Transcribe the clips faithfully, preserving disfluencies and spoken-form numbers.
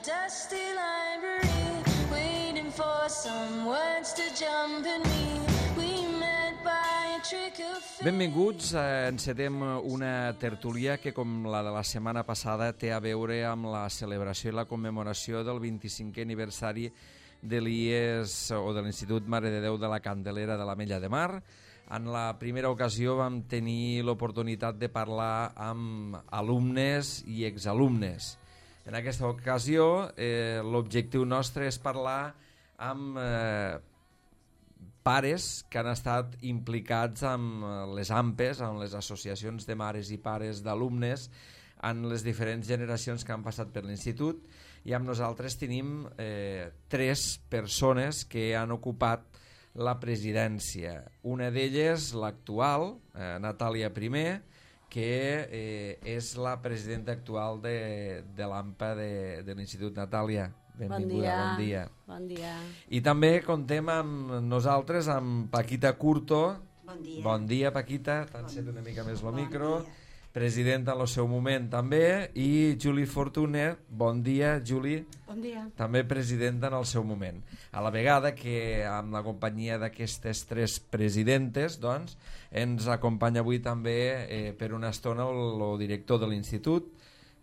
dusty library, waiting for some words to jump in me. We met by a trick of fate. Benvinguts, eh, encetem una tertúlia que, com la de la setmana passada, té a veure amb la celebració i la commemoració del vint-i-cinquè aniversari de l'I E S o de l'Institut Mare de Déu de la Candelera de l'Ametlla de Mar. En la primera ocasió vam tenir l'oportunitat de parlar amb alumnes i exalumnes. En aquesta ocasió eh, l'objectiu nostre és parlar amb eh, pares que han estat implicats amb les A M P Es, amb les associacions de mares i pares d'alumnes, en les diferents generacions que han passat per l'institut, i amb nosaltres tenim eh, tres persones que han ocupat la presidència. Una d'elles, l'actual, eh, Natàlia Primer, que eh, és la presidenta actual de, de l'A M P A de, de l'Institut. Natàlia, benvinguda, bon dia. Bon dia. I també contem amb nosaltres, amb Paquita Curto. Bon dia. Bon dia, Paquita, t'encet una mica més el bon micro. Dia. Presidenta en el seu moment també, i Juli Fortuné, bon dia, Juli. Bon dia. També presidenta en el seu moment. A la vegada que amb la companyia d'aquestes tres presidentes, doncs, ens acompanya avui també eh, per una estona el, el director de l'institut,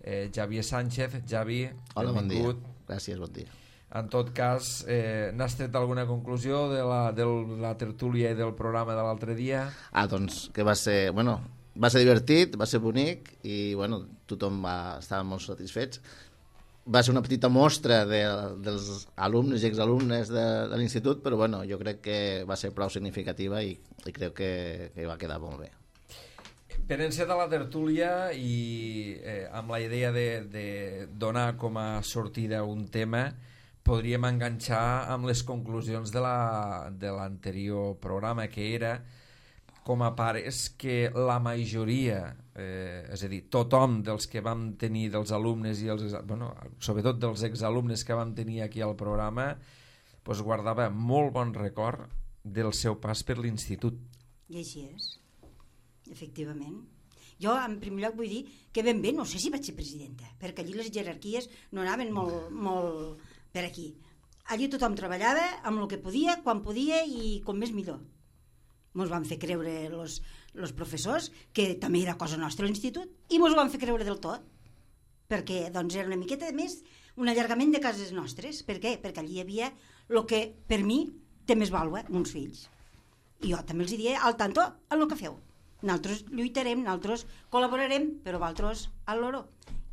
eh, Javier Sánchez. Javi, hola, benvingut. Bon dia. Gràcies, bon dia. En tot cas, eh, n'has tret alguna conclusió de la, de la tertúlia i del programa de l'altre dia? Ah, doncs que va ser, bueno, va ser divertit, va ser bonic i bueno, tothom va estar molt satisfets. Va ser una petita mostra de, dels alumnes i exalumnes de, de l'institut, però bueno, jo crec que va ser prou significativa i, i crec que, que va quedar molt bé. Per encetar la tertúlia i eh, amb la idea de, de donar com a sortida un tema, podríem enganxar amb les conclusions de la, de l'anterior programa, que era com a pares que la majoria, eh, és a dir, tothom dels que vam tenir, dels alumnes i els, bueno, sobretot dels exalumnes que vam tenir aquí al programa, pues, guardava molt bon record del seu pas per l'institut. I així és, efectivament. Jo, en primer lloc, vull dir que ben bé, no sé si vaig ser presidenta, perquè allí les jerarquies no anaven molt, molt per aquí. Allí tothom treballava amb el que podia, quan podia i com més millor. Mos van fer creure los, los professors que també era cosa nostra a l'institut i mos ho van fer creure del tot, perquè doncs era una miqueta més un allargament de cases nostres. Per què? Perquè allí hi havia el que per mi té més vàlua, uns fills. I jo també els diria al tanto en el que feu. Nosaltres lluitarem, nosaltres col·laborarem, però vosaltres al loro.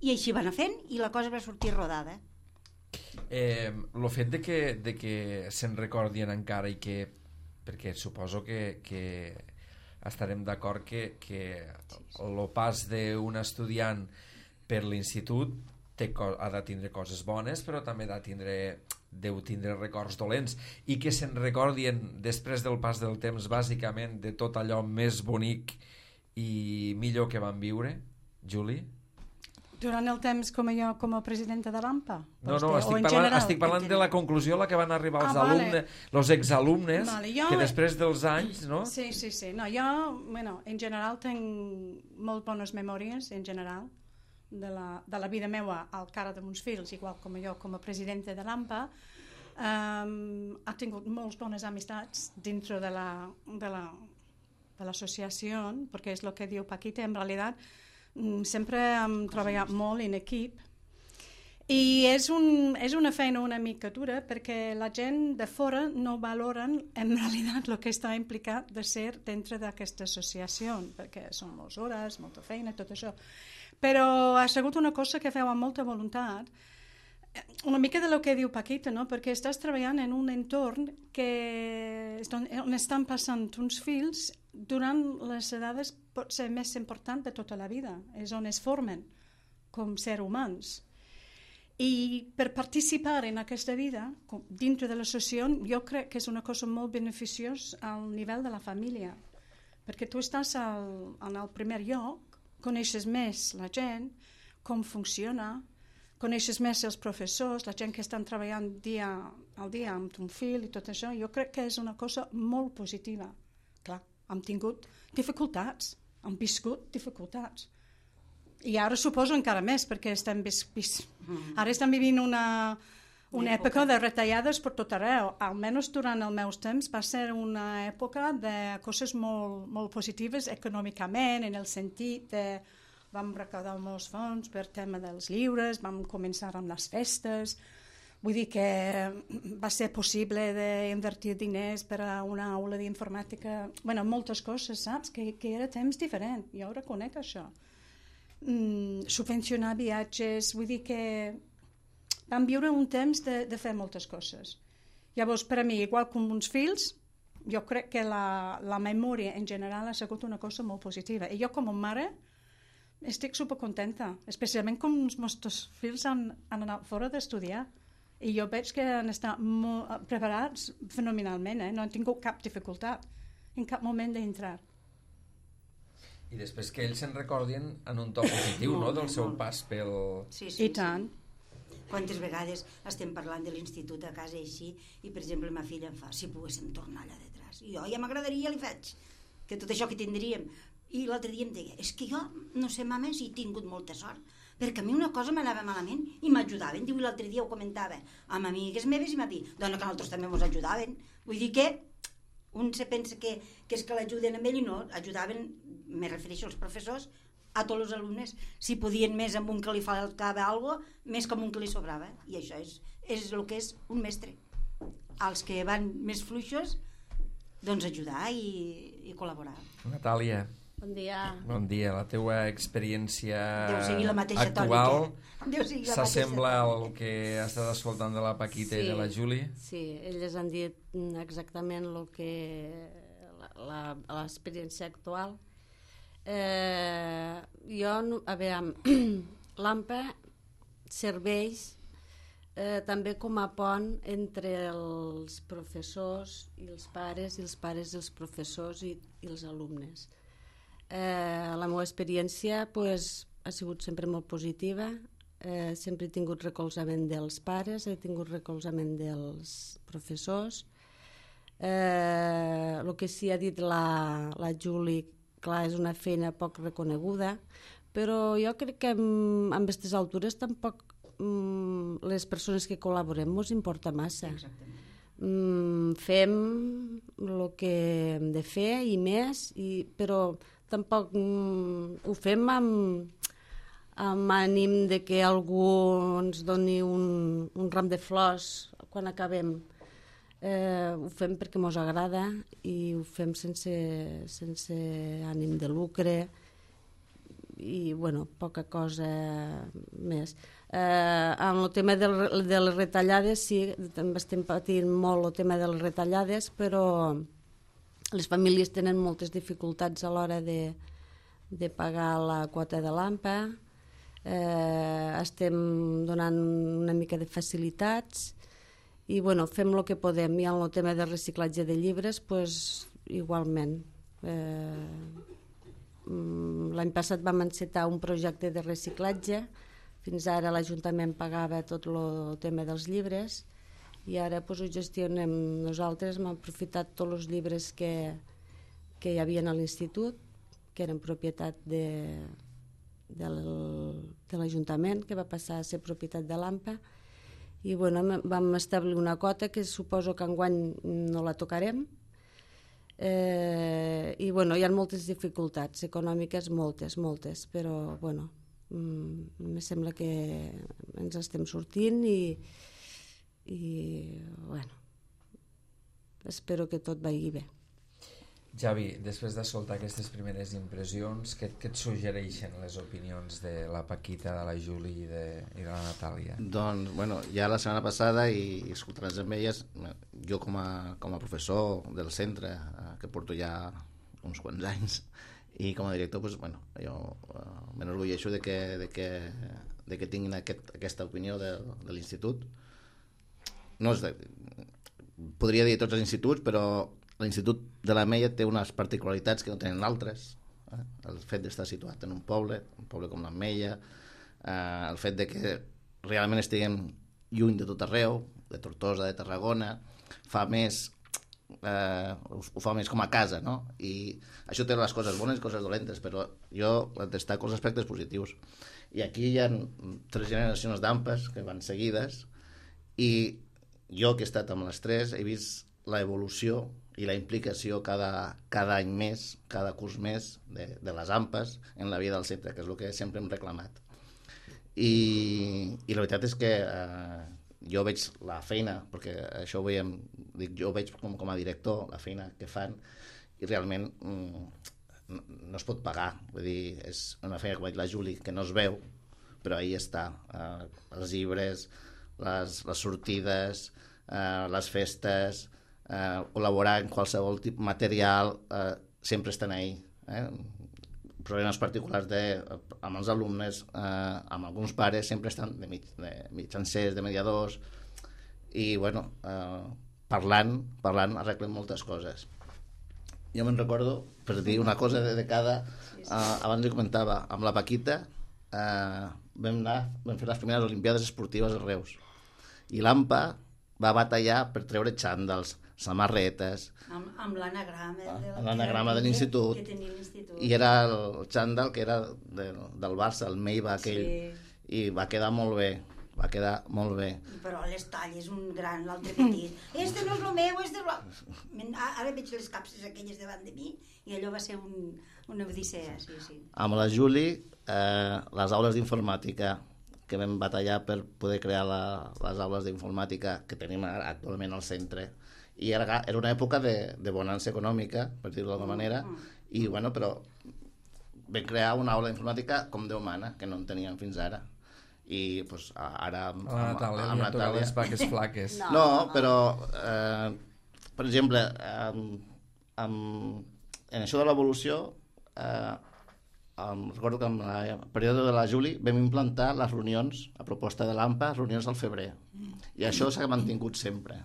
I així van fent i la cosa va sortir rodada. Eh, el fet de que, de que se'n recordien encara i que, perquè suposo que, que estarem d'acord que, que el pas d'un estudiant per l'institut té, ha de tindre coses bones, però també ha de tindre, deu tindre records dolents, i que se'n recordien després del pas del temps bàsicament de tot allò més bonic i millor que van viure. Juli? Durant el temps com a jo, com a presidenta de l'A M P A? No, no, estic parlant, estic parlant de la conclusió a la que van arribar els ah, vale. alumnes, els exalumnes, vale, jo... que després dels anys, no? Sí, sí, sí. No, jo, bueno, en general, tinc molt bones memòries, en general, de la, de la vida meva al cara de meus fills, igual com jo, com a presidenta de l'A M P A. Um, ha tingut moltes bones amistats dintre de la, de la, de l'associació, perquè és el que diu Paquita, en realitat, sempre hem treballat molt en equip i és, un, és una feina una mica dura perquè la gent de fora no valoren en realitat el que està implicat de ser dintre d'aquesta associació, perquè són moltes hores, molta feina, tot això, però ha sigut una cosa que feu amb molta voluntat, una mica de lo que diu Paquita, no? Perquè estàs treballant en un entorn que, on estan passant uns fills durant les edades pot ser més important de tota la vida, és on es formen com ser humans. I per participar en aquesta vida, dintre de l'associació, jo crec que és una cosa molt beneficiosa al nivell de la família, perquè tu estàs al, en el primer lloc, coneixes més la gent, com funciona, coneixes més els professors, la gent que estan treballant dia al dia amb ton fill i tot això. Jo crec que és una cosa molt positiva. Clar, hem tingut dificultats, hem viscut dificultats, I ara suposo encara més, perquè estem, vis, vis, ara estem vivint una, una època de retallades per tot arreu. Almenys durant els meus temps va ser una època de coses molt, molt positives econòmicament, en el sentit de vam recaudar molts fons per tema dels llibres, vam començar amb les festes, vull dir que va ser possible d'invertir diners per a una aula d'informàtica, bueno, moltes coses, saps? Que, que era temps diferent, jo ho reconec això. Mm, subvencionar viatges, vull dir que vam viure un temps de, de fer moltes coses. Llavors, per a mi, igual com uns fills, jo crec que la, la memòria en general ha sigut una cosa molt positiva. I jo com a mare estic supercontenta, especialment com els nostres fills han, han anat fora d'estudiar. I jo veig que han estat molt preparats fenomenalment, eh? No han tingut cap dificultat en cap moment d'entrar. I després que ells se'n recordin en un to positiu, no?, del seu pas pel... Sí, sí, I tant. Sí. Quantes vegades estem parlant de l'institut a casa així i, per exemple, ma filla em fa, si poguéssim tornar allà detrás. I jo ja m'agradaria, li faig, que tot això que tindríem. I l'altre dia em deia, és que jo, no sé, mama, si he tingut molta sort, perquè a mi una cosa m'anava malament i m'ajudaven. Diu, l'altre dia ho comentava amb amigues meves i m'ha dit, dona, que nosaltres també ens ajudaven. Vull dir que un se pensa que, que és que l'ajuden amb ell i no, ajudaven, me refereixo als professors, a tots els alumnes, si podien més amb un que li faltava alguna cosa, més com un que li sobrava. I això és, és el que és un mestre. Els que van més fluixos, doncs ajudar i, i col·laborar. Natàlia. Bon dia. Bon dia. La teua experiència actual s'assembla al que has estat escoltant de la Paquita sí, i de la Juli? Sí, elles han dit exactament el que l'experiència actual. Eh, jo, a veure, l'AMPA serveix eh, també com a pont entre els professors i els pares, i els pares i els professors i, i els alumnes. Eh, la meva experiència pues, ha sigut sempre molt positiva, eh, sempre he tingut recolzament dels pares, he tingut recolzament dels professors. Eh, el que sí ha dit la, la Juli, clar, és una feina poc reconeguda, però jo crec que amb, amb aquestes altures tampoc mm, les persones que col·laborem ens importa massa. Mm, fem el que hem de fer i més, i, però tampoc mm, ho fem amb, amb ànim de que algú ens doni un, un ram de flors quan acabem. Eh, ho fem perquè ens agrada i ho fem sense, sense ànim de lucre i, bueno, poca cosa més. Eh, en el tema de, de les retallades, sí, també estem patint molt el tema de les retallades, però les famílies tenen moltes dificultats a l'hora de, de pagar la quota de l'AMPA. Eh, estem donant una mica de facilitats i, bueno, fem el que podem. I en el tema de reciclatge de llibres, pues, igualment. Eh, l'any passat vam encetar un projecte de reciclatge. Fins ara l'Ajuntament pagava tot el tema dels llibres i ara pues, ho gestionem nosaltres. Hem aprofitat tots els llibres que, que hi havia a l'institut, que eren propietat de, de l'Ajuntament, que va passar a ser propietat de l'AMPA. I bueno, vam establir una quota que suposo que enguany no la tocarem. Eh, I bueno, hi ha moltes dificultats econòmiques, moltes, moltes, però bueno, mm, em sembla que ens estem sortint i, i bueno, espero que tot vagi bé. Javi, després d'escoltar aquestes primeres impressions, què, què et suggereixen les opinions de la Paquita, de la Juli i de, i de la Natàlia? Doncs, bueno, ja la setmana passada i, i escoltant-les amb elles, jo com a, com a professor del centre, eh, que porto ja uns quants anys, i com a director, pues, bueno, jo eh, m'enorgulleixo de que, de que, de que tinguin aquest, aquesta opinió de, de l'institut. No és de, podria dir tots els instituts, però l'Institut de l'Ametlla té unes particularitats que no tenen altres. Eh? El fet d'estar situat en un poble, un poble com l'Ametlla, eh, el fet de que realment estiguem lluny de tot arreu, de Tortosa, de Tarragona, fa més eh, ho, ho fa més com a casa, no? I això té les coses bones i coses dolentes, però jo destaco els aspectes positius. I aquí hi ha tres generacions d'AMPAs que van seguides, i jo, que he estat amb les tres, he vist l'evolució i la implicació cada, cada any més, cada curs més, de, de les AMPAs en la vida del centre, que és el que sempre hem reclamat. I, i la veritat és que eh, jo veig la feina, perquè això ho veiem, dic, jo veig com, com a director la feina que fan, i realment mm, no, no es pot pagar. Vull dir, és una feina, com ha dit la Juli, que no es veu, però ahí està. Eh, els llibres, les, les sortides, eh, les festes, eh, col·laborar en qualsevol tipus material, eh, sempre estan ahí. Eh? Problemes particulars de, amb els alumnes, eh, amb alguns pares, sempre estan de, mig, de mitjancers, de mediadors, i bueno, eh, parlant, parlant arreglen moltes coses. Jo me'n recordo, per dir una cosa de, de cada, eh, abans li comentava, amb la Paquita eh, vam anar, vam fer les primeres Olimpiades Esportives a Reus, i l'AMPA va batallar per treure xàndals, samarretes, amb, amb l'anagrama de, amb l'anagrama de l'institut, que tenia l'institut, i era el xàndal que era de, del Barça, el Meiva aquell, sí. I va quedar molt bé, va quedar molt bé. Però les talles, un gran, l'altre petit, este no és el meu, este és el... Ara veig les capses aquelles davant de mi, i allò va ser un, una odissea, sí, sí. Amb la Juli, eh, les aules d'informàtica, que vam batallar per poder crear la, les aules d'informàtica que tenim actualment al centre, i era, era una època de, de bonança econòmica, per dir-ho d'alguna manera, i bueno, però vam crear una aula d'informàtica com Déu mana, que no en teníem fins ara, i pues, ara amb, la Natàlia, amb, amb li ha les vaques flaques. No, no, però eh, per exemple, amb, amb, en això de l'evolució, eh, em recordo que en el període de la Juli vam implantar les reunions, a proposta de l'AMPA, reunions al febrer, i això s'ha mantingut sempre.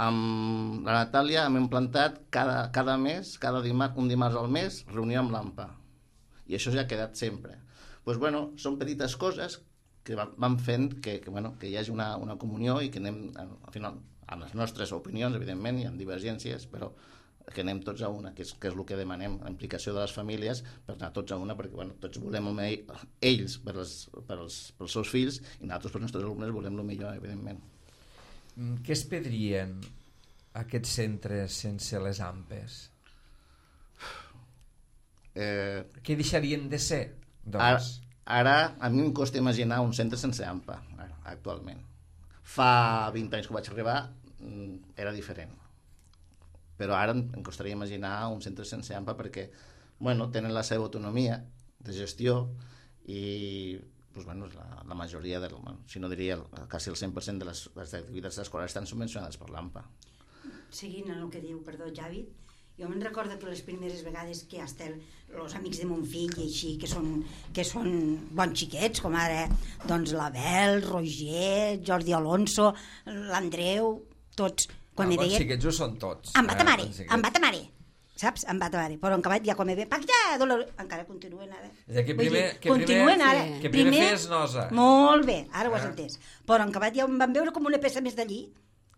Amb la Natàlia hem implantat cada, cada mes, cada dimarts, un dimarts al mes, reunió amb l'AMPA, i això ja ha quedat sempre. Pues, bueno, són petites coses que van fent que, que, bueno, que hi hagi una, una comunió i que anem, al final, amb les nostres opinions, evidentment, hi ha divergències, però que anem tots a una, que és, que és el que demanem, la implicació de les famílies per anar tots a una, perquè bueno, tots volem el millor, ells per els, per els, pels seus fills, i nosaltres per els nostres alumnes volem el millor, evidentment. Què es perdrien aquests centres sense les AMPes? Eh, Què deixarien de ser, doncs? Ara, ara a mi em costa imaginar un centre sense AMPA, actualment. Fa vint anys que vaig arribar era diferent, però ara em costaria imaginar un centre sense AMPA perquè bueno, tenen la seva autonomia de gestió i pues, bueno, la, la majoria, del, si no diria el, quasi el cent per cent de les, les activitats escolars estan subvencionades per l'AMPA. Seguint el que diu, perdó, Javi, jo me'n recordo que les primeres vegades que hasta el, els amics de mon fill i així, que són, que són bons xiquets, com ara doncs l'Abel, Roger, Jordi Alonso, l'Andreu, tots, quan ah, me deien... Bons xiquets ho són tots. Em va ta mare, eh, em va ta mare, saps? Em va ta mare, però en acabat ja quan me ve, Paquita, dolor... encara continuen ara. És que primer, dir, que continuen primer, ara. que primer, primer fes nosa. Molt bé, ara ho has ah. entès. Però en acabat ja em van veure com una peça més d'allí,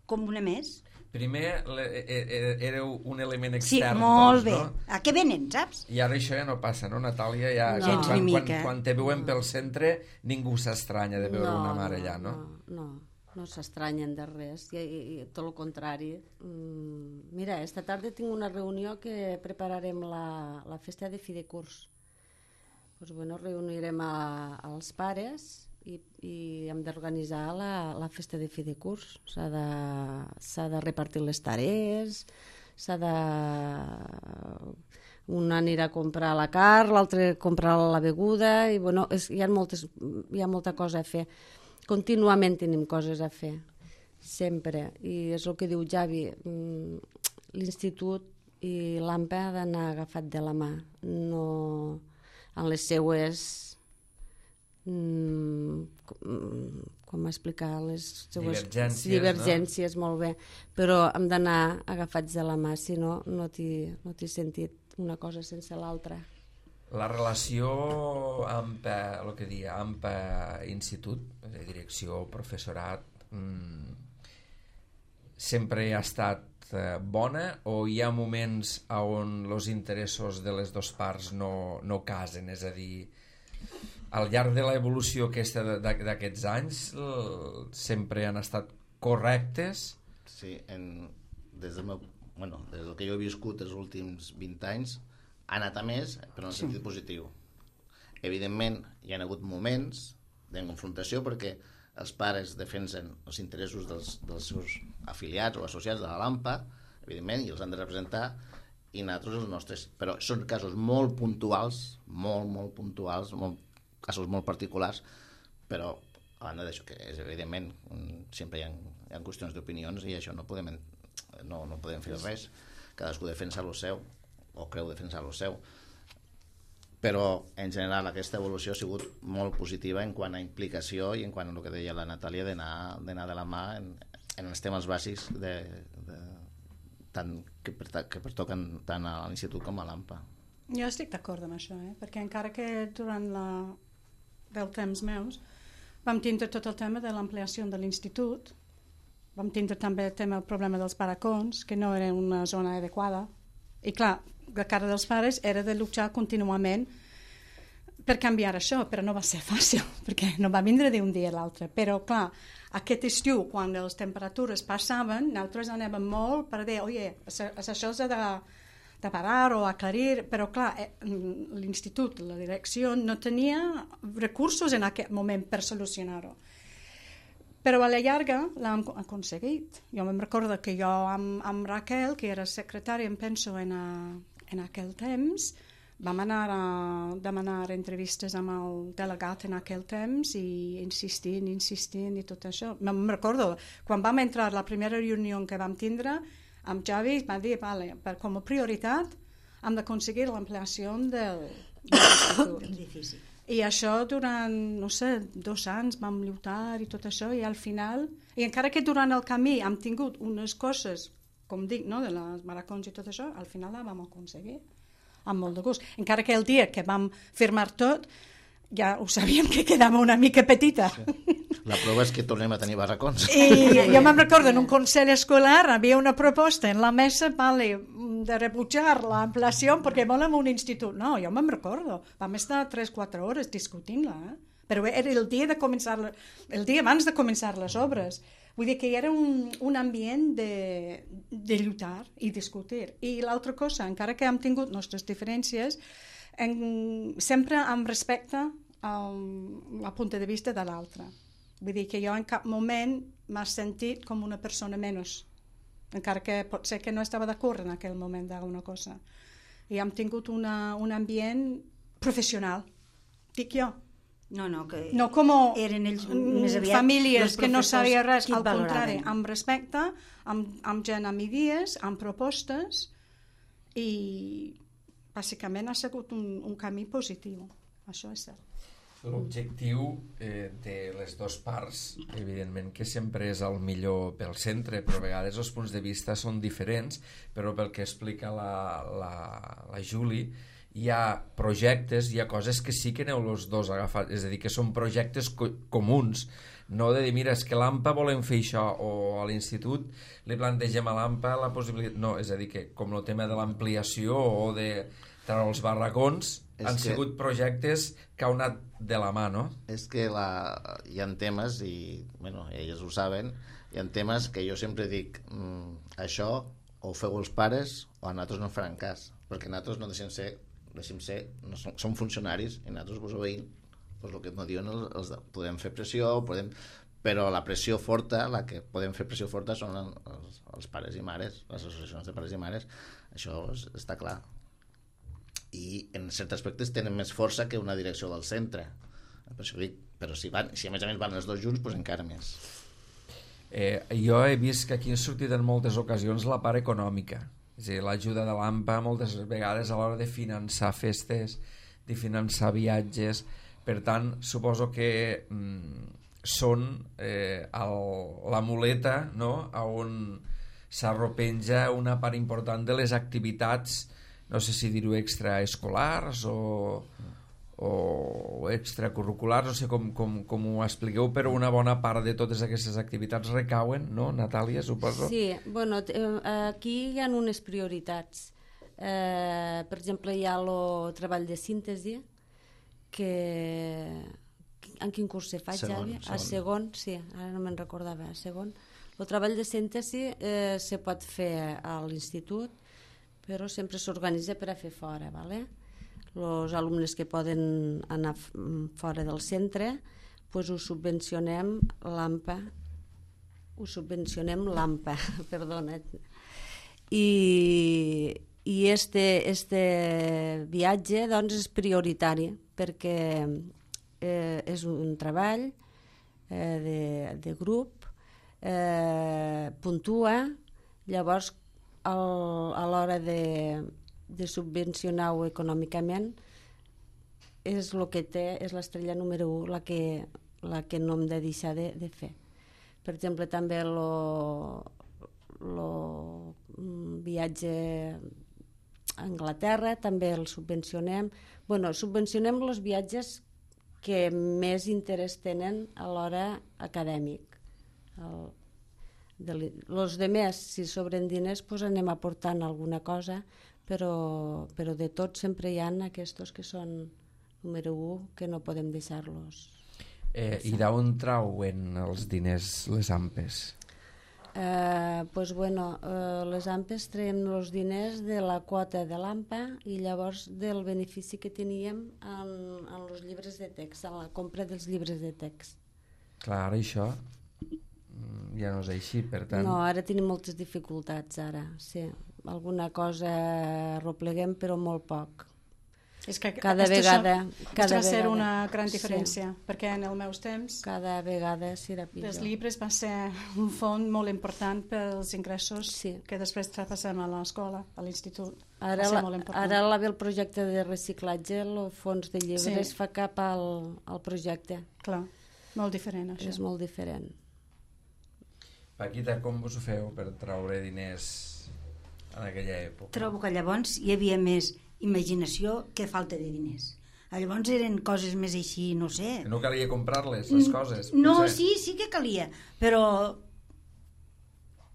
com una més. Primer le, éreu un element Sí, extern. molt tots, bé. No? A què venen, saps? I ara això ja no passa, no, Natàlia? Ja, No. quan, Gens quan, ni quan, mica. quan te veuen pel centre, ningú s'estranya de veure no, una mare allà, no? No, no, no s'estranyen de res, i, i, i tot el contrari. Mm, mira, esta tarda tinc una reunió que prepararem la, la festa de fi de curs. Pues, bueno, reunirem a, als pares i, i hem d'organitzar la, la festa de fi de curs. S'ha de, s'ha de repartir les tarees, s'ha de... un anirà a comprar la carn, l'altre comprar la beguda, i bueno, és, hi, ha moltes, hi ha molta cosa a fer. Continuament tenim coses a fer, sempre. I és el que diu Javi, l'institut i l'AMPA ha d'anar agafat de la mà, no en les seues... Mm, com explicar les seues divergències, divergències no? Molt bé, però hem d'anar agafats de la mà, si no, no t'hi no t'hi sentit una cosa sense l'altra. La relació AMPA, el que dia, AMPA-institut, de direcció, professorat, mmm, sempre ha estat eh, bona, o hi ha moments on els interessos de les dues parts no, no casen? És a dir, al llarg de l'evolució aquesta d'aquests anys sempre han estat correctes? Sí, en, des, del meu, bueno, des del que jo he viscut els últims vint anys ha anat a més, però en el sentit sí. positiu. Evidentment, hi ha hagut moments de confrontació perquè els pares defensen els interessos dels, dels seus afiliats o associats de la LAMPA, evidentment, i els han de representar, i nosaltres els nostres. Però són casos molt puntuals, molt, molt puntuals, molt, casos molt particulars, però a banda d'això, que és evidentment, sempre hi ha, hi ha qüestions d'opinions i això no podem, no, no podem fer res. Cadascú defensa el seu, o creu defensar el seu. Però en general aquesta evolució ha sigut molt positiva en quant a implicació i en quant a el que deia la Natàlia d'anar de la mà en, en els temes bàsics de, de, tant, que, per, que pertoquen tant a l'institut com a l'AMPA. Jo estic d'acord amb això, eh? Perquè encara que durant la, del temps meus vam tindre tot el tema de l'ampliació de l'institut, vam tindre també el tema el problema dels barracons, que no era una zona adequada, i clar, la cara dels pares era de luchar contínuament per canviar això, però no va ser fàcil, perquè no va vindre d'un dia a l'altre. Però, clar, aquest estiu, quan les temperatures passaven, nosaltres anàvem molt per dir, oye, això s'ha de, de parar o aclarir, però, clar, l'institut, la direcció, no tenia recursos en aquest moment per solucionar-ho. Però a la llarga l'hem aconseguit. Jo me'n recordo que jo amb, amb Raquel, que era secretària, em penso, en, a, en aquell temps, vam anar a demanar entrevistes amb el delegat en aquell temps i insistint, insistint i tot això. Me'n recordo, quan vam entrar a la primera reunió que vam tindre, amb Javi va dir, vale, per, com a prioritat hem d'aconseguir l'ampliació del, del edifici. I això durant, no sé, dos anys vam lluitar i tot això, i al final, i encara que durant el camí hem tingut unes coses, com dic, no, de les maracons i tot això, al final la vam aconseguir, amb molt de gust. Encara que el dia que vam firmar tot, ja ho sabíem que quedava una mica petita. Sí. La prova és que tornem a tenir barracons. I jo me'n recordo, en un consell escolar havia una proposta en la mesa, vale, de rebutjar l'ampliació perquè volem un institut. No, jo me'n recordo. Vam estar tres o quatre hores discutint-la, eh? Però era el dia, de començar, el dia abans de començar les obres. Vull dir que era un, un ambient de, de lluitar i discutir. I l'altra cosa, encara que hem tingut nostres diferències, en, sempre amb respecte al punt de vista de l'altre. Vull dir que jo en cap moment m'he sentit com una persona menys, encara que pot ser que no estava d'acord en aquell moment d'alguna cosa. I hem tingut una, un ambient professional, dic jo. No, no, que no com eren ells més aviat famílies que no sabia res, al valoraven. contrari, amb respecte, amb, amb gent amb idees, amb propostes, i bàsicament ha sigut un, un camí positiu, això és cert. L'objectiu eh, de les dues parts, evidentment que sempre és el millor pel centre, però a vegades els punts de vista són diferents, però pel que explica la, la, la Juli, hi ha projectes, hi ha coses que sí que aneu els dos agafat, és a dir, que són projectes co comuns, no de dir, mira, és que a l'AMPA volem fer això, o a l'institut li plantegem a l'AMPA la possibilitat... No, és a dir, que com el tema de l'ampliació o de treure els barracons, és han que... sigut projectes que han anat de la mà, no? És que la... hi ha temes, i bueno, elles ho saben, hi ha temes que jo sempre dic, mmm, això o ho feu els pares o a nosaltres no en faran cas, perquè nosaltres no deixem ser, deixem ser no som, som funcionaris i nosaltres vos obeïm, doncs el que no diuen els, els, podem fer pressió, podem, però la pressió forta, la que podem fer pressió forta són els, els pares i mares, les associacions de pares i mares, això és, està clar. I en certs aspectes tenen més força que una direcció del centre, per això dic, però si, van, si a més a més van els dos junts, doncs encara més. Eh, jo he vist que aquí ha sortit en moltes ocasions la part econòmica, és a dir, l'ajuda de l'AMPA moltes vegades a l'hora de finançar festes, de finançar viatges, per tant suposo que mm, són eh, el, la muleta, no?, on s'arropenja una part important de les activitats, no sé si dir-ho extraescolars o, o extracurriculars, no sé com, com, com ho expliqueu, però una bona part de totes aquestes activitats recauen, no, Natàlia, suposo? Sí, bueno, aquí hi ha unes prioritats. Eh, per exemple, hi ha el treball de síntesi, que... En quin curs se fa, Javi? A segon, sí, ara no me'n recordava, a segon. El treball de síntesi eh, se pot fer a l'institut, però sempre s'organitza per a fer fora, ¿vale? Els alumnes que poden anar fora del centre, pues ho subvencionem l'AMPA, ho subvencionem l'AMPA, perdona. I, i este, este viatge doncs, és prioritari, perquè eh, és un treball eh, de, de grup, eh, puntua, llavors el, a l'hora de de subvencionar-ho econòmicament és el que té, és l'estrella número u, la que, la que no hem de deixar de, de fer. Per exemple, també el viatge a Anglaterra també el subvencionem. Bueno, subvencionem els viatges que més interès tenen a l'hora acadèmic. El, de, els demés, si sobren diners, pues anem aportant alguna cosa, però, però de tots sempre hi ha aquests que són número u, que no podem deixar-los. Eh, I d'on trauen els diners les AMPes? Eh, pues bueno, eh, les AMPes traiem els diners de la quota de l'AMPA i llavors del benefici que teníem en, en els llibres de text, en la compra dels llibres de text. Clar, ara això ja no és així, per tant... No, ara tenim moltes dificultats, ara, sí. Alguna cosa arropleguem, però molt poc. És que cada vegada... Cada va ser vegada. Una gran diferència, sí. Perquè en els meus temps... Cada vegada serà pitjor. Els llibres va ser un font molt important pels ingressos sí. que després traspassem a l'escola, a l'institut. Ara, la, ara la ve el projecte de reciclatge, el fons de llibres sí. fa cap al, al projecte. Clar, molt diferent això. És molt diferent. Paquita, com vos ho feu per traure diners en aquella època? Trobo que llavors hi havia més imaginació que falta de diners. Llavors eren coses més així, no sé... Que no calia comprar-les, les coses. No, potser. sí, sí que calia, però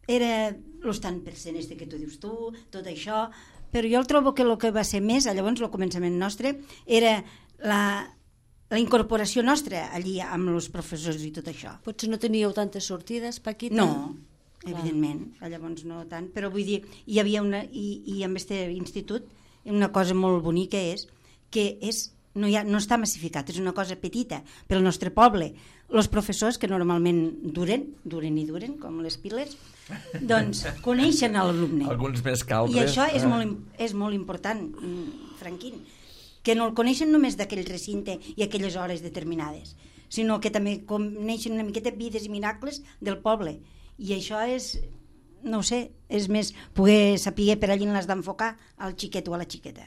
era el tant per cent este que tu dius tu, tot això, però jo el trobo que el que va ser més, llavors el començament nostre, era la... la incorporació nostra allí amb els professors i tot això. Potser no teníeu tantes sortides, Paquita? No, evidentment, llavors no tant, però vull dir, hi havia una, i, i amb aquest institut, una cosa molt bonica és que és, no, hi ha, no està massificat, és una cosa petita pel nostre poble. Els professors, que normalment duren, duren i duren, com les piles, doncs coneixen l'alumne. Alguns més que altres. I això és, molt, és molt important, Franquín, que no el coneixen només d'aquell recinte i aquelles hores determinades, sinó que també coneixen una miqueta vides i miracles del poble. I això és, no sé, és més poder saber per allí l'has d'enfocar al xiquet o a la xiqueta.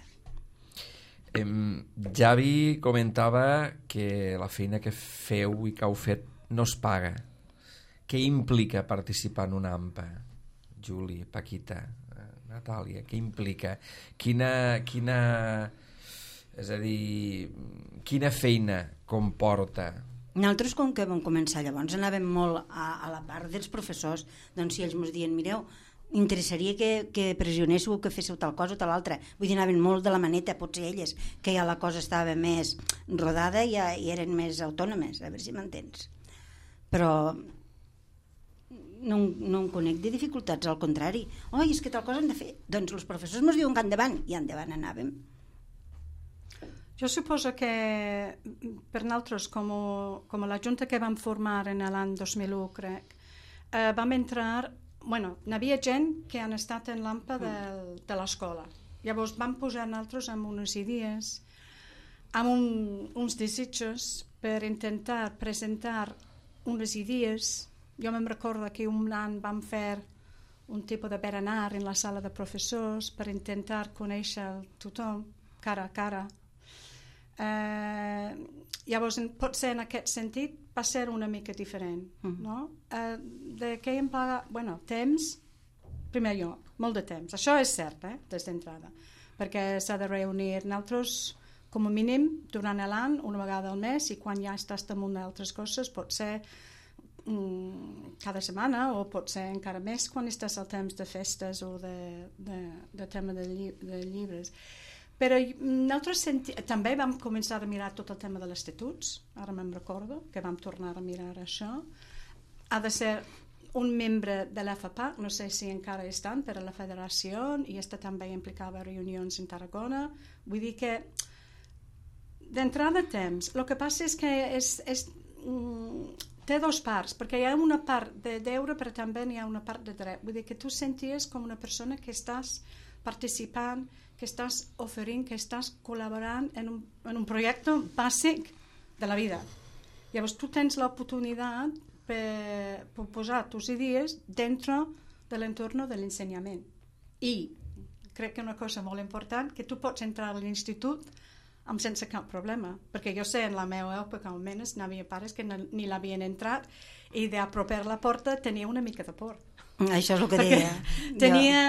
Eh, Javi comentava que la feina que feu i que heu fet no es paga. Què implica participar en una AMPA? Juli, Paquita, Natàlia, què implica? Quina... quina... És a dir, quina feina comporta? Nosaltres, com que vam començar llavors, anàvem molt a, a la part dels professors, doncs si ells ens diuen, mireu, interessaria que, que pressionéssiu, que féssiu tal cosa o tal altra. Vull dir, anaven molt de la maneta, potser elles, que ja la cosa estava més rodada i, ja, i eren més autònomes, a veure si m'entens. Però no, no em conec de dificultats, al contrari. Oi, és que tal cosa hem de fer. Doncs els professors ens diuen que endavant, i endavant anàvem. Jo suposo que per nosaltres, com, com la junta que vam formar en l'any dos mil u, crec, eh, vam entrar... Bueno, hi havia gent que han estat en l'AMPA de, de l'escola. Llavors vam posar nosaltres amb unes idees, amb un, uns desitjos per intentar presentar unes idees. Jo me'n recordo que un any vam fer un tipus de berenar en la sala de professors per intentar conèixer tothom, cara a cara. Eh, llavors potser en aquest sentit va ser una mica diferent, mm. no? Eh, de què em paga... Bueno, temps, primer lloc, molt de temps. Això és cert, eh, des d'entrada, perquè s'ha de reunir. Nosaltres com a mínim durant l'any, una vegada al mes, i quan ja estàs damunt d'altres coses pot ser mm, cada setmana, o pot ser encara més quan estàs al temps de festes o de, de, de tema de, lli de llibres. Però nosaltres senti... també vam començar a mirar tot el tema de les estatuts, ara me'n recordo, que vam tornar a mirar això. Ha de ser un membre de l'F A P A C, no sé si encara estan per a la federació, i està també implicava reunions en Tarragona. Vull dir que d'entrada temps. El que passa és que és, és, mm, té dos parts, perquè hi ha una part de deure, però també hi ha una part de dret. Vull dir que tu senties com una persona que estàs participant, que estàs oferint, que estàs col·laborant en un, en un projecte bàsic de la vida. Llavors tu tens l'oportunitat per, per posar tus idees dintre de l'entorn de l'ensenyament. I crec que una cosa molt important, que tu pots entrar a l'institut amb sense cap problema, perquè jo sé en la meva època almenys n'hi havia pares que ni l'havien entrat i d'apropar la porta tenia una mica de por. Això és el que perquè deia. tenia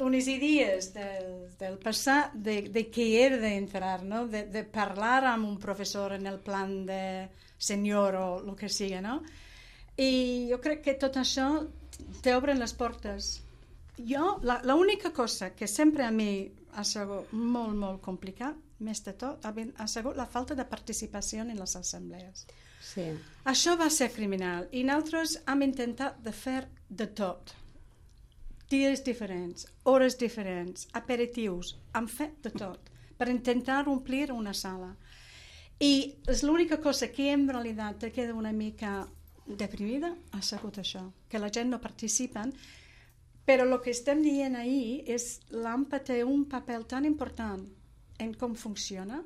unes idees del, del passat de, de què era d'entrar, no? de, de parlar amb un professor en el plan de senyor o el que sigui, no? I jo crec que tot això t'obren les portes. Jo, l'única cosa que sempre a mi ha sigut molt, molt complicat, més de tot, ha sigut la falta de participació en les assemblees. Sí. Això va ser criminal i nosaltres hem intentat de fer de tot. Dies diferents, hores diferents, aperitius, hem fet de tot per intentar omplir una sala. I és l'única cosa que en realitat te queda una mica deprimida ha sigut això, que la gent no participa, però el que estem dient ahir és l'AMPA té un paper tan important en com funciona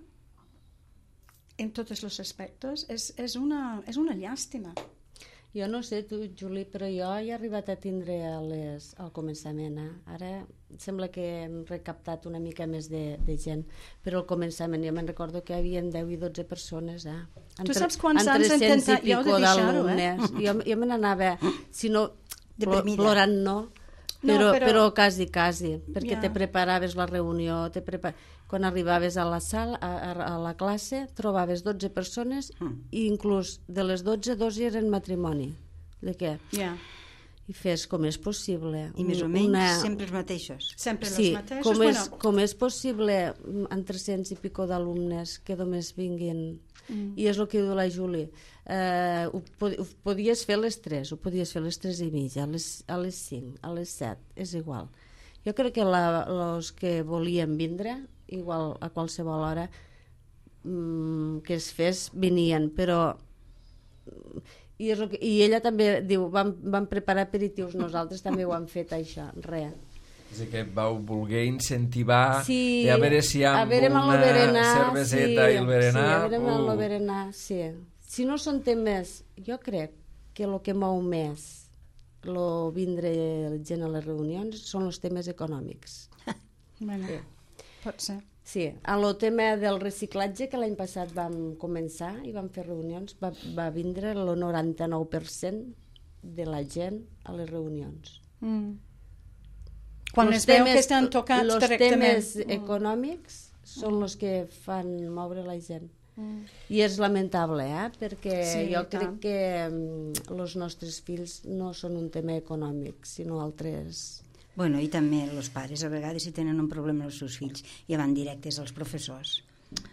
en tots els aspectes, és, és, una, és una llàstima. Jo no sé tu, Juli, però jo he arribat a tindre a les, al començament. Eh? Ara sembla que hem recaptat una mica més de, de gent, però al començament jo me'n recordo que hi havia deu i dotze persones. Eh? Tu saps quants anys hem intentat jo de deixar-ho, eh? Jo, jo me n'anava, si no Deprimida. plorant no, però, no, però... però quasi, quasi, perquè Ja. te preparaves la reunió, te prepar... quan arribaves a la sala, a, a la classe, trobaves dotze persones Mm. i inclús de les dotze, dos eren matrimoni. De què? Ja. I fes com és possible. I més o menys una... sempre els mateixos. Sempre Sí, els mateixos. com és, Bueno, com és possible en tres-cents i pico d'alumnes que només vinguin, Mm. i és el que diu la Juli, eh, ho, pod ho podies fer a les tres, ho podies fer a les tres i mitja, a les, a les cinc, a les set, és igual. Jo crec que la, els que volien vindre, igual a qualsevol hora mmm, que es fes, venien, però i, és el que, i ella també diu, vam, vam preparar aperitius, nosaltres també ho hem fet això, res. És a dir, que vau voler incentivar Sí, de a veure si a amb veure amb el una berenar, cerveseta sí, i el berenar... Sí, a veure amb uh. el berenar, sí. Si no són temes, jo crec que el que mou més lo vindre gent a les reunions són els temes econòmics. bueno, Sí. pot ser. Sí, a lo tema del reciclatge, que l'any passat vam començar i vam fer reunions, va, va vindre el noranta-nou per cent de la gent a les reunions. Mm. Quan Los es veu temes- que estan tocats los directament. temes econòmics són els que fan moure la gent. Mm. I és lamentable, eh? Perquè Sí, jo i crec tant. que els nostres fills no són un tema econòmic, sinó altres... Bueno, i també els pares, a vegades, si tenen un problema amb els seus fills, ja van directes als professors.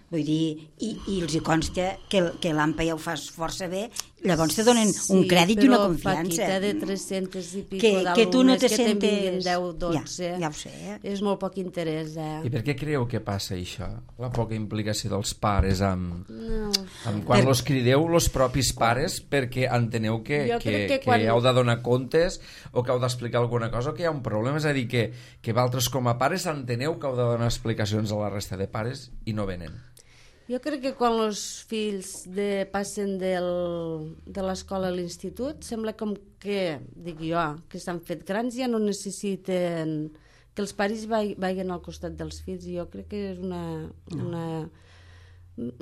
Vull dir, i, i els hi consta que, que l'AMPA ja ho fa força bé, llavors te donen un crèdit i una confiança. Però, Paquita, de tres-cents i pico que, que tu no d'alumnes te que te'n vinguin sentes... deu, dotze, Ja, ja ho sé. Eh? és molt poc interès, eh? I per què creieu que passa això? La poca implicació dels pares amb... No. amb quan Per- los crideu los propis pares perquè enteneu que, Jo que, crec que que, quan- heu de donar comptes o que heu d'explicar alguna cosa o que hi ha un problema, és a dir, que, que vosaltres com a pares enteneu que heu de donar explicacions a la resta de pares i no venen. Jo crec que quan els fills de, passen del, de l'escola a l'institut, sembla com que, dic jo, que s'han fet grans, ja no necessiten que els pares vai, vagin al costat dels fills. Jo crec que és una... una...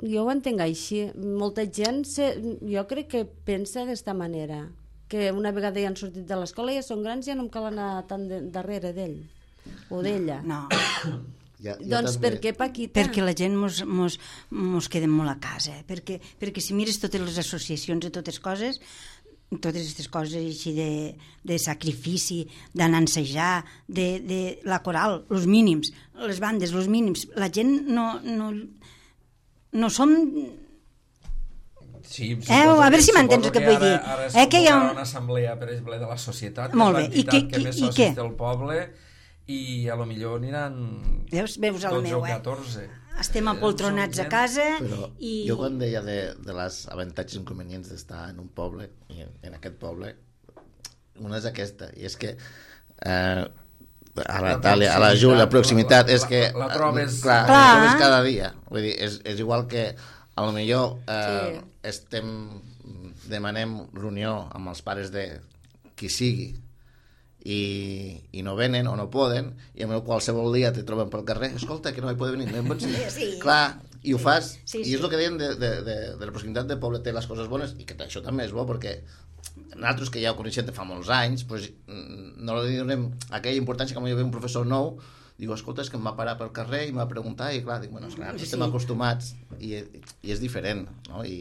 Jo ho entenc així. Molta gent, se, jo crec que pensa d'esta manera, que una vegada ja han sortit de l'escola, ja són grans, ja no em cal anar tan de, darrere d'ell o d'ella. No, Ja, jo Doncs també... per què, Paquita? Perquè la gent mos, mos, mos quedem molt a casa, eh? perquè, perquè si mires totes les associacions i totes coses, totes aquestes coses així de, de sacrifici, d'anar a ensejar, de, de la coral, els mínims, les bandes, els mínims, la gent no, no, no som... Sí, Eh, a veure si m'entens el que vull dir. Ara es Eh, que hi ha convocarà un- una assemblea, per exemple, de la societat, Molt que és bé. I l'entitat què- que i- més i socis què? té el poble, i a lo millor aniran Veus, veus el dotze meu, o eh? catorze. Estem Eh, apoltronats som a gent. casa Però i... jo quan deia de, de les avantatges i inconvenients d'estar en un poble, i en, en aquest poble, una és aquesta, i és que eh, a la Tàlia, a la Júlia, la proximitat, és que... La, la trobes... Clar, Clar. la trobes cada dia. Vull dir, és, és igual que a lo millor eh, Sí. estem demanem reunió amb els pares de qui sigui i, i no venen o no poden, i a mi qualsevol dia te troben pel carrer, escolta, que no hi poden venir, no hi pots venir. Sí. Clar, i ho fas, Sí, i sí. és el que deien de, de, de, de la proximitat del poble té les coses bones, i que això també és bo, perquè nosaltres que ja ho coneixem de fa molts anys, pues, no li donem aquella importància que potser ve un professor nou, diu, escolta, és que em va parar pel carrer i em va preguntar, i clar, dic, bueno, esclar, sí. estem acostumats i, i és diferent, no? I,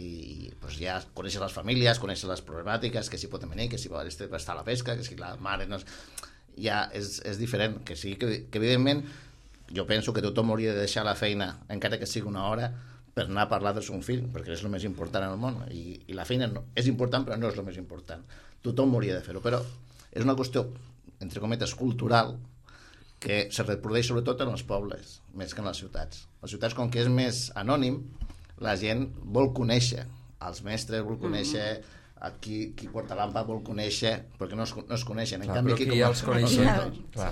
i pues, ja coneixes les famílies, coneixes les problemàtiques, que si pot venir, que si pot estar a la pesca, que si la mare no és... ja és, és diferent, que sí, que, que evidentment jo penso que tothom hauria de deixar la feina, encara que sigui una hora, per anar a parlar del seu fill, perquè és el més important en el món, i, i la feina no, és important, però no és el més important. Tothom hauria de fer-ho, però és una qüestió, entre cometes, cultural, que se reprodueix sobretot en els pobles, més que en les ciutats. Les ciutats, com que és més anònim, la gent vol conèixer, els mestres vol conèixer, a qui, qui porta l'ampa vol conèixer, perquè no es, no es coneixen. En Clar, canvi, però aquí que com ja a- els coneixem. Ja. Clar.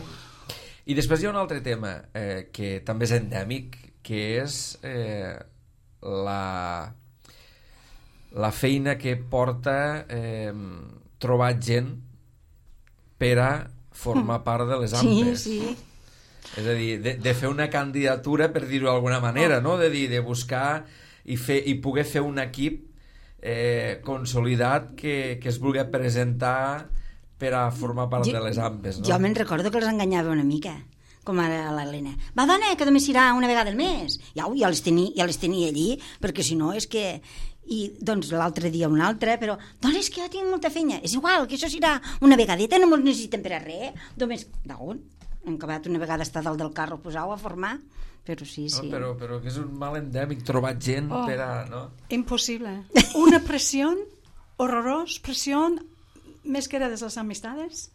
I després hi ha un altre tema eh, que també és endèmic, que és eh, la, la feina que porta eh, trobar gent per a formar part de les Sí, ampes. sí. És a dir, de, de fer una candidatura, per dir-ho d'alguna manera, no? De dir, de buscar i, fer, i poder fer un equip eh, consolidat que, que es vulgui presentar per a formar part Jo- de les ampes, no? Jo me'n recordo que els enganyava una mica, com ara l'Helena. Va, dona, que només irà una vegada al mes. Ja, ja, les tenia, ja les tenia allí, perquè si no és que... I doncs l'altre dia un altre, però dona, és que jo tinc molta feina. És igual, que això serà una vegadeta, no me'ls necessiten per a res. Només, d'on? Hem acabat una vegada estar dalt del carro posau a formar, però sí, sí. No, però, però que és un mal endèmic trobar gent Oh. per a... No? Imposible. Una presión horrorosa, presión més que era de les amistades,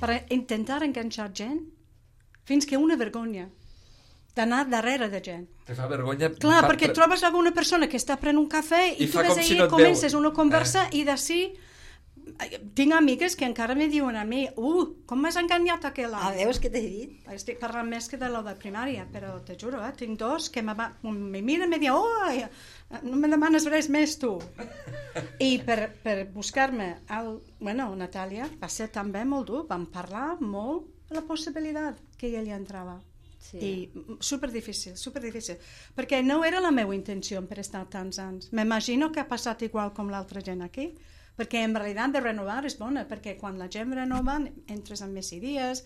per intentar enganxar gent, fins que una vergonya d'anar darrere de gent. Te fa vergonya... Clar, fa- perquè trobes alguna persona que està prenent un cafè i, I tu fa ves com ahí si i no et comences veu. una conversa Eh. i d'ací tinc amigues que encara me diuen a mi, uh, com m'has enganyat aquell Ah, home? veus què t'he dit? Estic parlant més que de lo de primària, però te juro, eh, tinc dos que me, va, me miren i me diuen, oh, no me demanes res més tu. I per, per buscar-me, el, bueno, Natàlia, va ser també molt dur, vam parlar molt de la possibilitat que ella hi entrava. Sí. I super difícil, super difícil, perquè no era la meva intenció per estar tants anys. M'imagino que ha passat igual com l'altra gent aquí, perquè en realitat de renovar és bona, perquè quan la gent renova entres en més idees,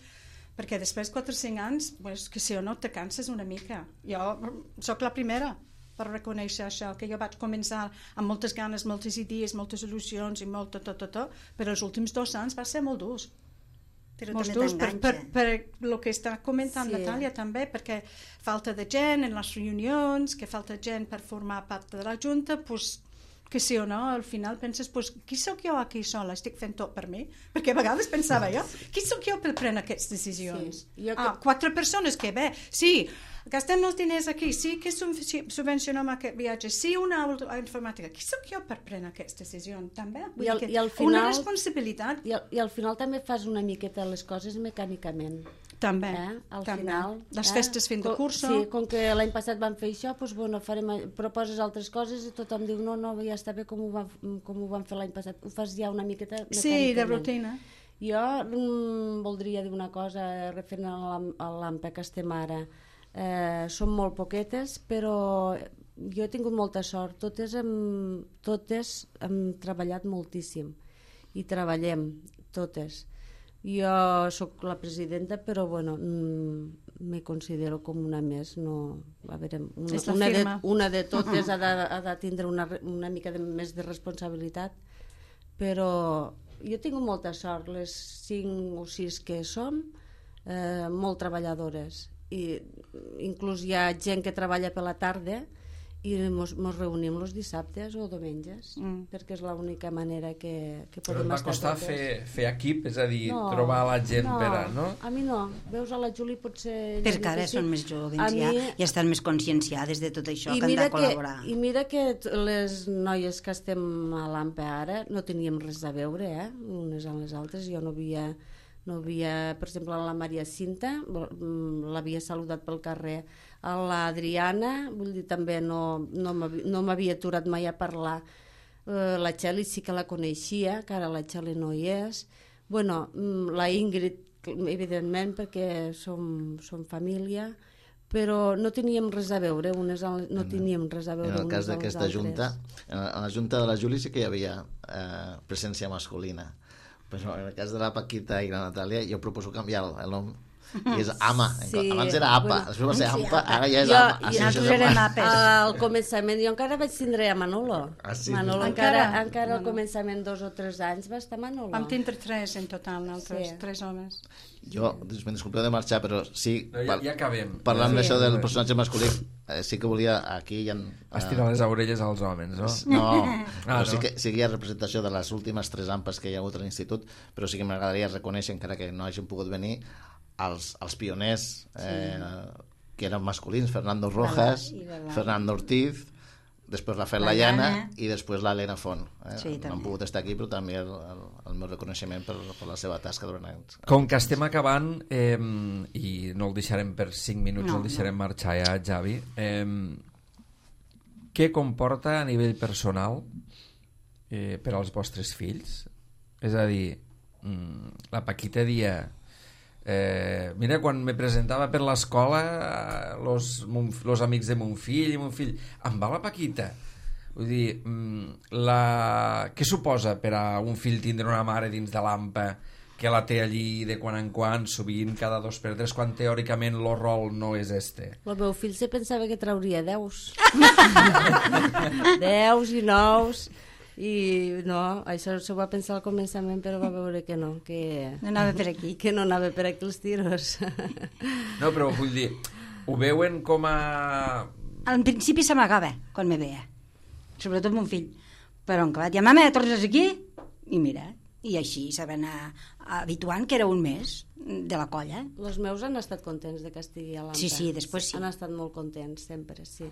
perquè després de quatre o cinc anys, pues, que si o no te canses una mica. Jo sóc la primera per reconèixer això, que jo vaig començar amb moltes ganes, moltes idees, moltes il·lusions i molt tot, tot, tot, tot, però els últims dos anys va ser molt durs. Però Molts també durs per, per, t'enganxa. per el que està comentant Sí. Natàlia també, perquè falta de gent en les reunions, que falta gent per formar part de la Junta, pues, que sí o no, al final penses, pues, qui sóc jo aquí sola? Estic fent tot per mi? Perquè a vegades pensava jo, qui sóc jo per prendre aquestes decisions? Sí, jo Ah, que- quatre persones que bé, sí, gastem els diners aquí, sí que sub- subvencionem aquest viatge, sí una aula informàtica, qui sóc jo per prendre aquestes decisions? També, vull I al- dir que i al una final- responsabilitat I al, I al final també fas una miqueta les coses mecànicament. també, Eh? Al també. final, Les eh? festes fin de Com- curso. Sí, com que l'any passat vam fer això, doncs, bueno, farem, proposes altres coses i tothom diu no, no, ja està bé com ho, va, com ho vam fer l'any passat. Ho fas ja una miqueta Sí, de mecànicament. rutina. Jo mm, voldria dir una cosa referent a l'am- a l'AMPA que estem ara. Eh, som molt poquetes, però jo he tingut molta sort. Totes hem, totes hem treballat moltíssim i treballem, totes. Jo sóc la presidenta, però bueno, mm, me considero com una més, no... A veure, una, És la una, de, firma. una de totes ha de, ha de tindre una, una mica de, més de responsabilitat, però jo tinc molta sort, les cinc o sis que som, eh, molt treballadores, i inclús hi ha gent que treballa per la tarda i mos, mos reunim els dissabtes o diumenges, mm. perquè és l'única manera que, que podem Però et va estar costar totes. fer, fer equip, és a dir, No, trobar la gent no, per a... No? A mi no. Veus, a la Juli potser... Perquè ara són més joves, ja, mi... ja estan més conscienciades de tot això, I que han mira de col·laborar. Que, I mira que t- les noies que estem a l'AMPA ara no teníem res a veure, eh? Unes amb les altres. Jo no havia, no havia, per exemple, la Maria Cinta, l'havia saludat pel carrer. A l'Adriana, vull dir, també no, no m'havia no m'havia aturat mai a parlar. Uh, la Txeli sí que la coneixia, que ara la Txeli no hi és. Bueno, la Ingrid, evidentment, perquè som, som família, però no teníem res a veure, unes al, no teníem res a veure En el unes cas a les d'aquesta altres. junta, en la, en la junta de la Juli sí que hi havia eh, presència masculina, però en el cas de la Paquita i la Natàlia jo proposo canviar el, el nom i és Ama. Sí, Abans era Apa, bueno, després va ser sí, Ampa, Apa. ara ja és Jo- Ama. jo- Ah, sí, nosaltres això és érem Ama. Apes. Al començament, jo encara vaig tindre a Manolo. Ah, sí? Manolo Encara? encara, encara al Bueno. començament, dos o tres anys, va estar Manolo. Vam tindre tres en total, nosaltres, Sí. tres homes. Jo, me disculpeu de marxar, però sí, No, ja, ja acabem. parlant Sí. d'això del personatge masculí, eh, sí que volia, aquí hi ha... Estirar les orelles als homes, no? No, Ah, però sí no? que, sí que hi ha representació de les últimes tres ampes que hi ha hagut a l'institut, però sí que m'agradaria reconèixer, encara que no hagin pogut venir, els, els pioners eh, que eren masculins, Fernando Rojas, I la Laura. Fernando Ortiz, després Rafael La Layana Llana. i després l'Helena Font. Eh? Sí, no han també. pogut estar aquí, però també el, el, el meu reconeixement per, per la seva tasca durant anys. Com que estem acabant, eh, i no el deixarem per cinc minuts, no, No, el deixarem no. marxar ja, Javi, eh, què comporta a nivell personal eh, per als vostres fills? És a dir, mm, la Paquita dia... Eh, mira, quan me presentava per l'escola los, mon, los amics de mon fill i mon fill, em va la Paquita. Vull dir, mm, la... què suposa per a un fill tindre una mare dins de l'AMPA que la té allí de quan en quan, sovint cada dos per tres, quan teòricament el rol no és este? El meu fill se pensava que trauria deus. Deus i nous. I no, això s'ho va pensar al començament, però va veure que no, que No anava per aquí. que no anava per aquí els tiros. No, però vull dir, ho veuen com a... En principi s'amagava quan me veia, sobretot mon fill. Però en clar, ja mama, tornes aquí? I mira, i així se va anar habituant, que era un mes de la colla. Els meus han estat contents de que estigui a l'AMPA. Sí, sí, després sí. Han estat molt contents, sempre, sí.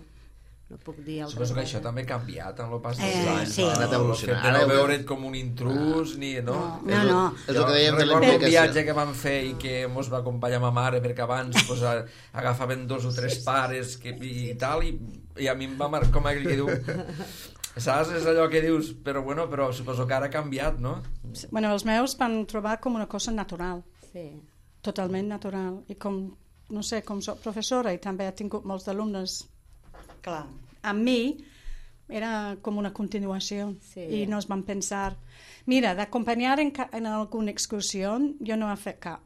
No puc dir altra Suposo que cosa. això també ha canviat en el pas dels Eh, anys. sí. no? Ha anat evolucionant. El fet de Ara no ho veure't com un intrus, ni... No, No, no. És el que dèiem de recordo un l'implicació. viatge que vam fer i que mos va acompanyar ma mare, perquè abans pues, a- agafaven dos o tres pares que, i tal, i, i a mi em va marcar com aquell que diu... Saps? És allò que dius, però bueno, però suposo que ara ha canviat, no? Bueno, els meus van trobar com una cosa natural, Sí. totalment natural. I com, no sé, com soc professora i també he tingut molts d'alumnes Clar. amb mi, era com una continuació. Sí. I no es van pensar... Mira, d'acompanyar en, ca- en alguna excursió jo no he fet cap.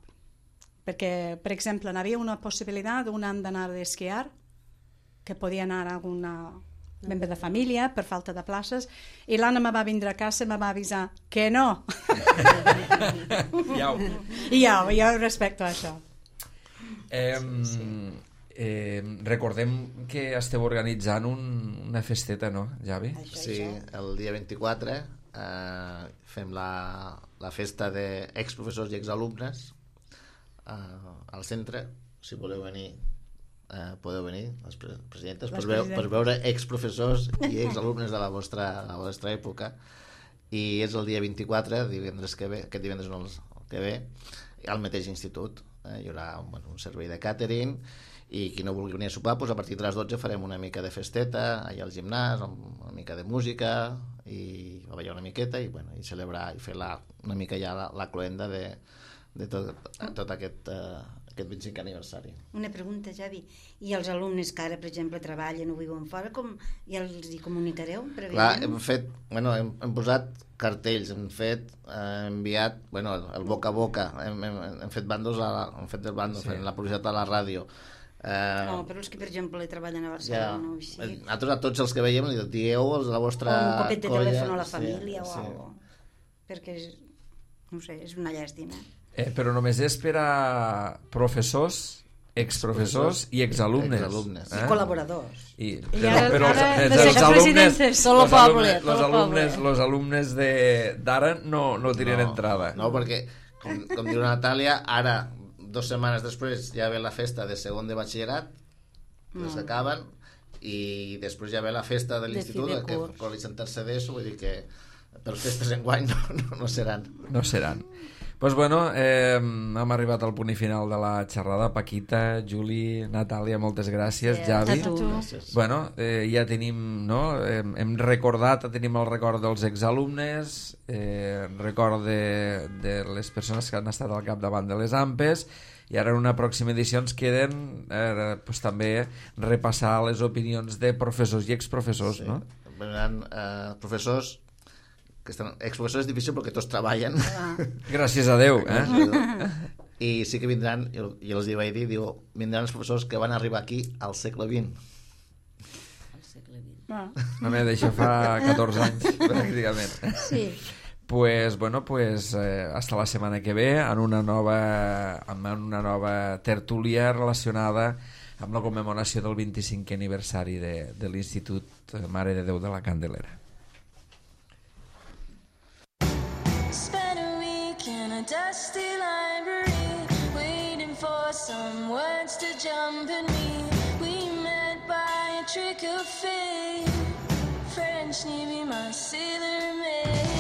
Perquè, per exemple, hi havia una possibilitat un any d'anar d'esquiar, que podia anar a alguna membre de família per falta de places, i l'Anna me va vindre a casa i me va avisar que no. Ja ho... I jo, jo respecto això. Eh, eh, recordem que esteu organitzant un, una festeta, no, Javi? Sí, el dia vint-i-quatre eh, fem la, la festa d'exprofessors i exalumnes eh, al centre. Si voleu venir, eh, podeu venir, les pre presidentes, per, veu, per veure exprofessors i exalumnes de la vostra, la vostra època. I és el dia vint-i-quatre, divendres que ve, aquest divendres no, el que ve, al mateix institut. Eh, hi haurà bueno, un servei de càtering, i qui no vulgui venir a sopar, doncs a partir de les dotze farem una mica de festeta allà al gimnàs, una mica de música i a ballar una miqueta i, bueno, i celebrar i fer la, una mica ja la, la cloenda de, de tot, tot aquest, uh, aquest vint-i-cinquè aniversari. Una pregunta, Javi. I els alumnes que ara, per exemple, treballen o viuen fora, com ja els hi comunicareu? Clar, prèviament? hem fet, bueno, hem, hem posat cartells, hem fet, hem enviat, bueno, el boca a boca, hem, hem, hem fet bandos, a la, hem fet el bando, sí. la publicitat a la ràdio. Eh, no, però els que, per exemple, treballen a Barcelona o així. Nosaltres a tots els que veiem li dieu els de la vostra colla. O un copet de colla, telèfon a la família sí, o sí. alguna cosa. Perquè, és, no sé, és una llàstima. Eh, però només és per a professors, exprofessors i exalumnes. exalumnes. Eh? I col·laboradors. I, I però, ara, però ara els, les els alumnes, expresidentes. Solo los poble, alumnes, los solo alumnes, poble. los alumnes de- d'ara no, no tenen no, entrada. No, perquè, com, com diu la Natàlia, ara, dues setmanes després, ja ve la festa de segon de batxillerat, que Mm. s'acaben, i després ja ve la festa de De l'institut, fi de que curs. col·legi en tercer d'ESO, vull dir que per festes enguany no, no, no seran. No seran. Doncs pues bueno, eh, hem arribat al punt i final de la xerrada. Paquita, Juli, Natàlia, moltes gràcies. Sí, Javi. a tu. Gràcies. Bueno, eh, ja tenim, no? Hem, hem recordat, tenim el record dels exalumnes, eh, record de, de les persones que han estat al capdavant de les AMPES, i ara en una pròxima edició ens queden eh, pues, també repassar les opinions de professors i exprofessors, Sí. no? Venen eh, professors que estan, exprofessors és difícil perquè tots treballen. Ah. Gràcies a Déu, eh? I sí que vindran, jo, jo els hi vaig dir, diu, vindran els professors que van arribar aquí al segle vint. Al segle vint. Ah. Home, d'això fa catorze anys, pràcticament. Sí. Pues, bueno, pues, eh, hasta la setmana que ve en una nova, amb una nova tertúlia relacionada amb la commemoració del vint-i-cinquè aniversari de, de l'Institut Mare de Déu de la Candelera. Spent a week in a dusty library, waiting for some words to jump in me. We met by a trick of fate. French Navy, my sailor maid.